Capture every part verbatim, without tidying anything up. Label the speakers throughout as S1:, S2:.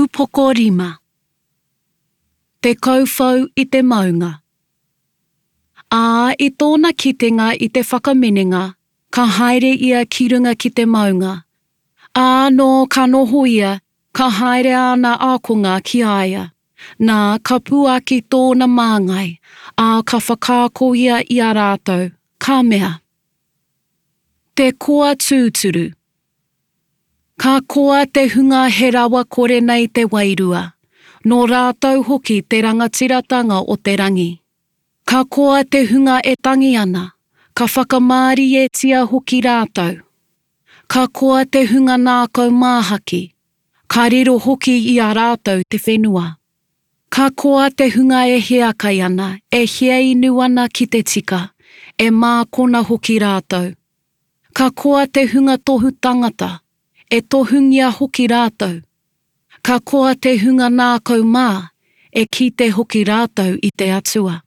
S1: Upoko rima. Te kauwhau i te maunga. Ā, i tōna kitenga i te whakaminenga, ka haere ia ki runga ki te maunga. Ā, nō ka noho ia, ka haere āna ākonga ki a ia. Nā, ka puaki tōna māngai, ā, ka whakaako ia i a rātou, ka mea. Te koa tūturu. Ka koa te hunga he rawa kore nei te wairua, nō rātou hoki te rangatiratanga o te rangi. Ka koa te hunga e tangi ana, ka whakamārietia hoki rātou. Ka koa te hunga ngākau māhaki, ka riro hoki i a rātou te whenua. Ka koa te hunga e hiakai ana, e hiainu ana ki te tika, e mākona hoki rātou. Ka koa te hunga tohu tangata, e tohungia hoki rātou. Ka koa te hunga ngākau mā, e kite hoki rātou i te Atua.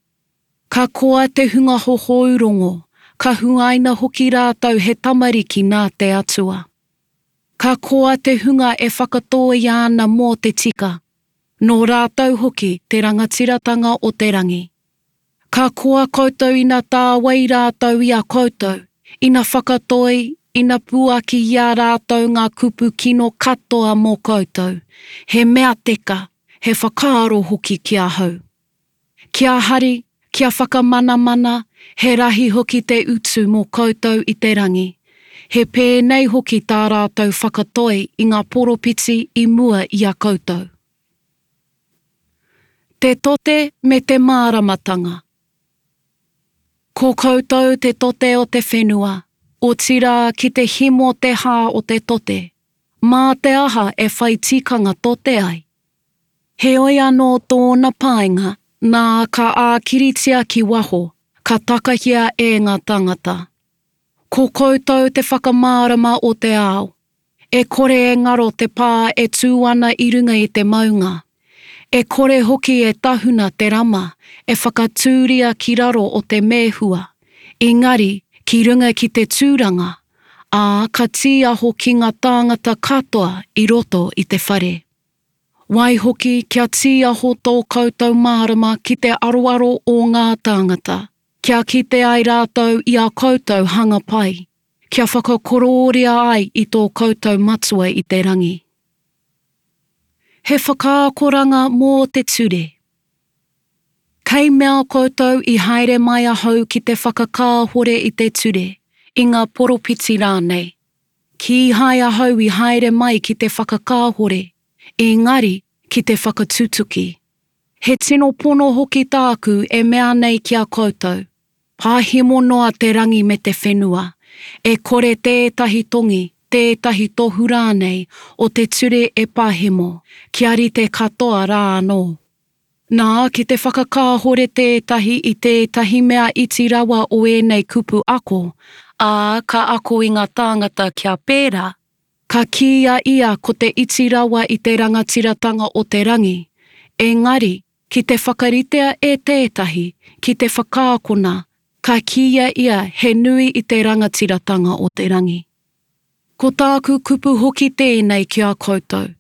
S1: Ka koa te hunga hohou rongo, ka huaina hoki rātou he tamariki nā te Atua. Ka koa te hunga e whakatōia ana mō te tika, nō rātou hoki te rangatiratanga o te rangi. Ka koa koutou ina tāwai rātou i a koutou, ina whakatoi, ina puaki i a rātou ngā kupu kino katoa mō koutou, he mea teka, he whakaaro hoki ki ahau. Kia hari, kia whakamanamana, he rahi hoki te utu mō koutou i te rangi. He pēnei hoki tā rātou whakatoi i ngā poropiti i mua i a koutou. Te tote me te māramatanga. Ko koutou te tote o te whenua, otirā ki te himo te hā o te tote, mā te aha e whai tikanga tote ai? Heoi anō tōna painga, nā ka ākiritia ki waho, ka takahia e ngā tāngata. Ko koutou te whakamārama o te ao. E kore e ngaro te pā e tū ana i runga i te maunga. E kore hoki e tahuna te rama e whakatūria ki raro o te mēhua, engari ki runga ki te tūranga, ā, ka tīaho ki ngā tāngata katoa i roto i te whare. Waihoki kia tīaho tō koutou mārama ki te aroaro o ngā tāngata, kia kite ai rātou i ā koutou hanga pai, kia whakakorōria ai i tō koutou Matua i te rangi. He whakaakoranga mō te ture. Kei mea koutou i haere mai ahau ki te whakakāhore i te ture, i ngā poropiti rānei. Kīhai ahau i haere mai ki te whakakāhore, engari ki te whakatutuki. He tino pono hoki tāku e mea nei ki a koutou, pahemo noa te rangi me te whenua, e kore tētahi tongi, tētahi tohu rānei o te ture e pahemo, kia rite katoa rā anō. Nā, ki te whakakāhore tētahi i tētahi mea iti rawa o ēnei kupu ako, ā, ka ako i ngā tāngata kia pērā, ka kīia ia ko te iti rawa i te rangatiratanga o te rangi, engari, ki te whakaritea e tētahi, ki te whakaakona, ka kīia ia he nui i te rangatiratanga o te rangi. Ko tāku kupu hoki tēnei ki a koutou.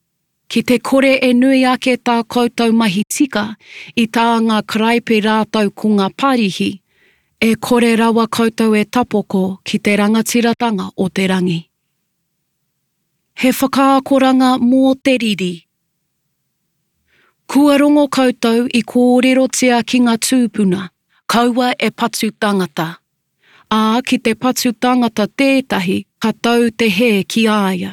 S1: Ki te kore e nui ake tā koutou mahi tika i tā ngā karaipe rātou ko ngā Parihi, e kore rawa koutou e tapoko ki te rangatiratanga o te rangi. He whakaakoranga mō te riri. Kua rongo koutou i kōrerotia ki ngā tūpuna, kaua e patu tangata. Ā, ki te patu tangata tētahi, ka tau te hē ki a ia.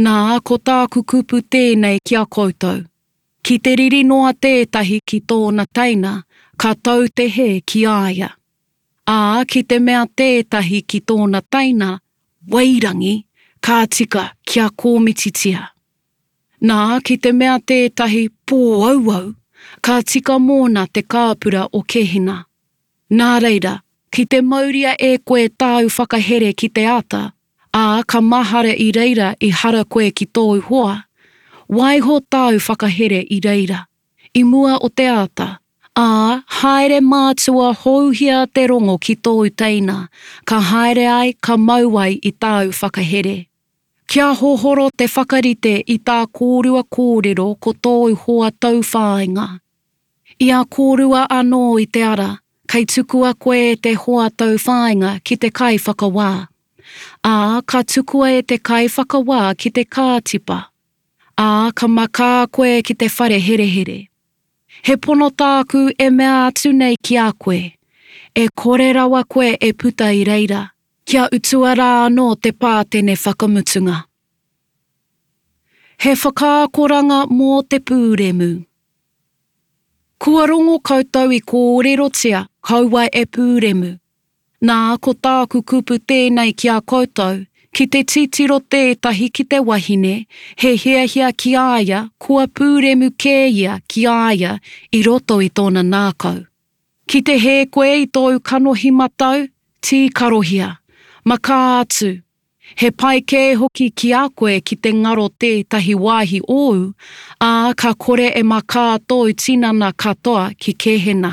S1: Nā, ko tāku kupu tēnei ki a koutou. Ki te riri noa tētahi ki tōna teina, ka tau te hē ki a ia. Ā, ki te mea tētahi ki tōna teina, wairangi, ka tika kia kōmititia. Nā, ki te mea tētahi pōauau, ka tika mōna te kāpura o Kehena. Nā reira, ki te mauria e koe tāu whakahere ki te ata, ā, ka mahara i reira i hara koe ki tōu hoa, waiho tāu whakahere i reira, i mua o te ata, ā, haere mātua houhia te rongo ki tōu teina, ka haere ai ka mau ai i tāu whakahere. Kia hohoro te whakarite i tā kōrua kōrero ko tōu hoa tauwhāinga. I a kōrua anō i te ara, kei tukua koe e te hoa tauwhāinga ki te kaiwhakawā. Ā, ka tukua e te kaiwhakawā ki te kātipa. Ā, ka makā koe ki te whare herehere. He pono tāku e mea atu nei ki a koe, e kore rawa koe e puta i reira, kia utua rā anō te pātene whakamutunga. He whakaakoranga mō te pūremu. Kua rongo koutou i kōrerotia, kaua e pūremu. Nā, ko tāku kupu tēnei ki a koutou, ki te titiro tētahi ki te wahine, he hiahia ki a ia, kua pūremu kē ia ki a ia i roto i tōna ngākau. Ki te hē koe i tōu kanohi matau, tīkarohia. Makā atu. He pai kē hoki ki a koe ki te ngaro tētahi wāhi ōu, ā, ka kore e makā tōu tinana katoa ki Kehena.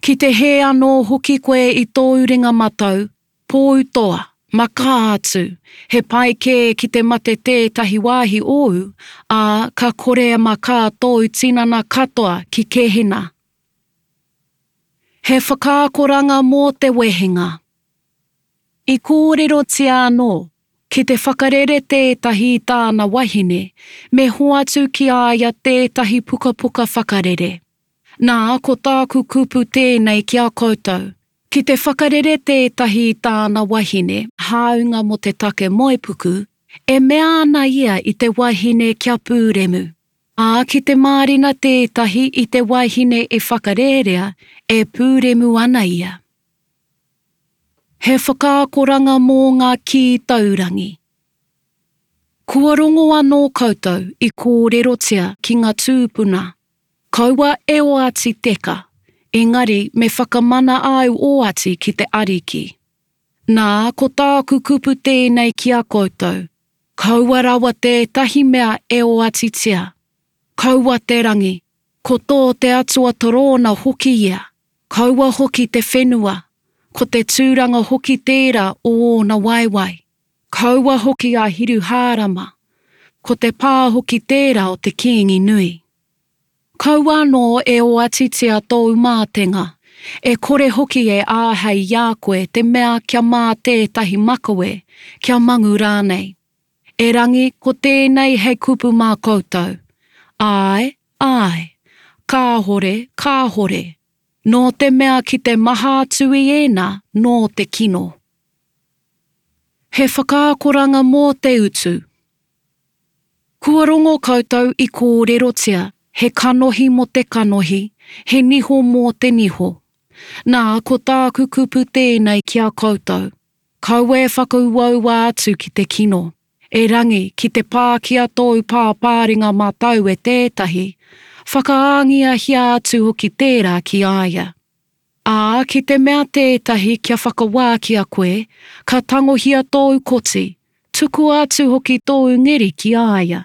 S1: Ki te hē anō hoki koe i tōu ringa matau, pōutoa, makā atu, he pai kē ki te mate tētahi wāhi ōu, ā, ka kore e makā tōu tinana katoa ki Kehena. He whakaakoranga mō te wehenga. I kōrerotia anō, ki te whakarere tētahi i tāna wahine, me hoatu ki a ia tētahi pukapuka whakarere. Nā, ko tāku kupu tēnei ki a koutou, ki te whakarere tētahi i tāna wahine, hāunga mō te take moepuku, e mea ana ia i te wahine kia pūremu. Ā, ki te mārena tētahi i te wahine e whakarērea, e pūremu ana ia. He whakaakoranga mō ngā kī taurangi. Kua rongo anō koutou i kōrerotia ki ngā tūpuna, Kaua e oati teka, engari me whakamana āu oati ki te Ariki. Nā, ko tāku kupu tēnei ki a koutou, kaua rawa tētahi mea e oatitia. Kaua te rangi, ko tō te Atua torōna hoki ia, kaua hoki te whenua, ko te tūranga hoki tērā o ōna waewae. Kaua hoki a Hiruhārama, ko te pā hoki tērā o te Kīngi nui. Kaua anō e oatitia tōu mātenga, e kore hoki e āhei i a koe te mea kia mā tētahi makawe, kia mangu rānei. Erangi, ko tēnei hei kupu mā koutou, Āe, āe, kāhore, kāhore. Nō te mea ki te maha atu i ēnā nō te kino. He whakaakoranga mō te utu. Kua rongo koutou i kōrerotia, he kanohi mō te kanohi, he niho mō te niho. Nā, ko tāku kupu tēnei ki a koutou, kaua e whakauaua atu ki te kino, erangi ki te pākia tōu pāpāringa matau e tētahi, whakaāngiahia atu hoki tērā ki a ia. Ā, ki te mea tētahi kia whakawākia koe, ka tangohia tōu koti, tukua atu hoki tōu ngeri ki a ia.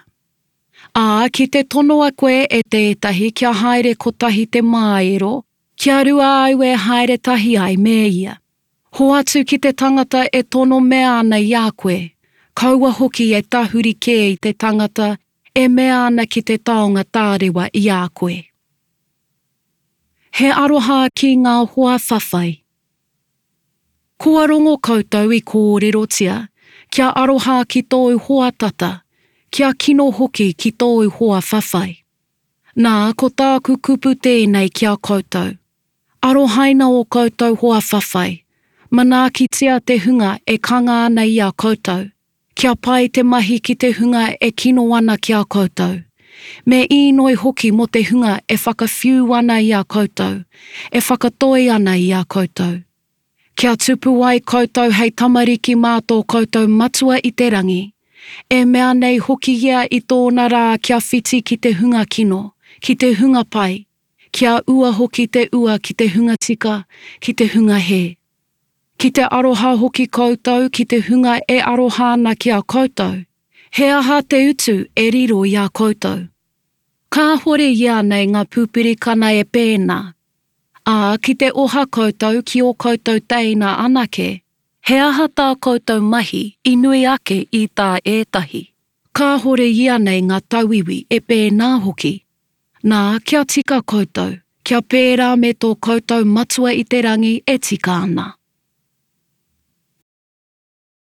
S1: Ā, ki te tonoa koe e tētahi kia haere kotahi te māero, kia rua au e haere tahi ai me ia. Hoatu ki te tangata e tono mea ana i a koe, kaua hoki e tahuri kē i te tangata e mea ana ki te taonga tārewa i a koe. He aroha ki ngā hoa whawhai. Kua rongo koutou i kōrerotia, kia aroha ki tōu hoa tata, kia kino hoki ki tōu hoa whawhai. Nā, ko tāku kupu tēnei ki a koutou. Arohaina ō koutou hoa whawhai, manaakitia te hunga e kanga ana i a koutou, kia pai te mahi ki te hunga e kino ana ki a koutou. Me īnoi hoki mō te hunga e whakawhiu ana i a koutou, e whakatoi ana i a koutou. Kia tupu ai koutou hei tamariki mā tō koutou Matua i te rangi, e mea nei hoki ia i tōna rā kia whiti ki te hunga kino, ki te hunga pai, kia ua hoki te ua ki te hunga tika, ki te hunga hē. Ki te aroha hoki koutou ki te hunga e aroha ana ki a koutou, he aha te utu e riro i a koutou? Kāhore ianei ngā pupurikana e pēnā? Ā, ki te oha koutou ki ō koutou teina anake, He aha tā koutou mahi i nui ake i tā ētahi? Kāhore ianei ngā tauiwi e pēnā hoki? Nā, kia tika koutou, kia pērā me tō koutou Matua i te rangi e tika ana.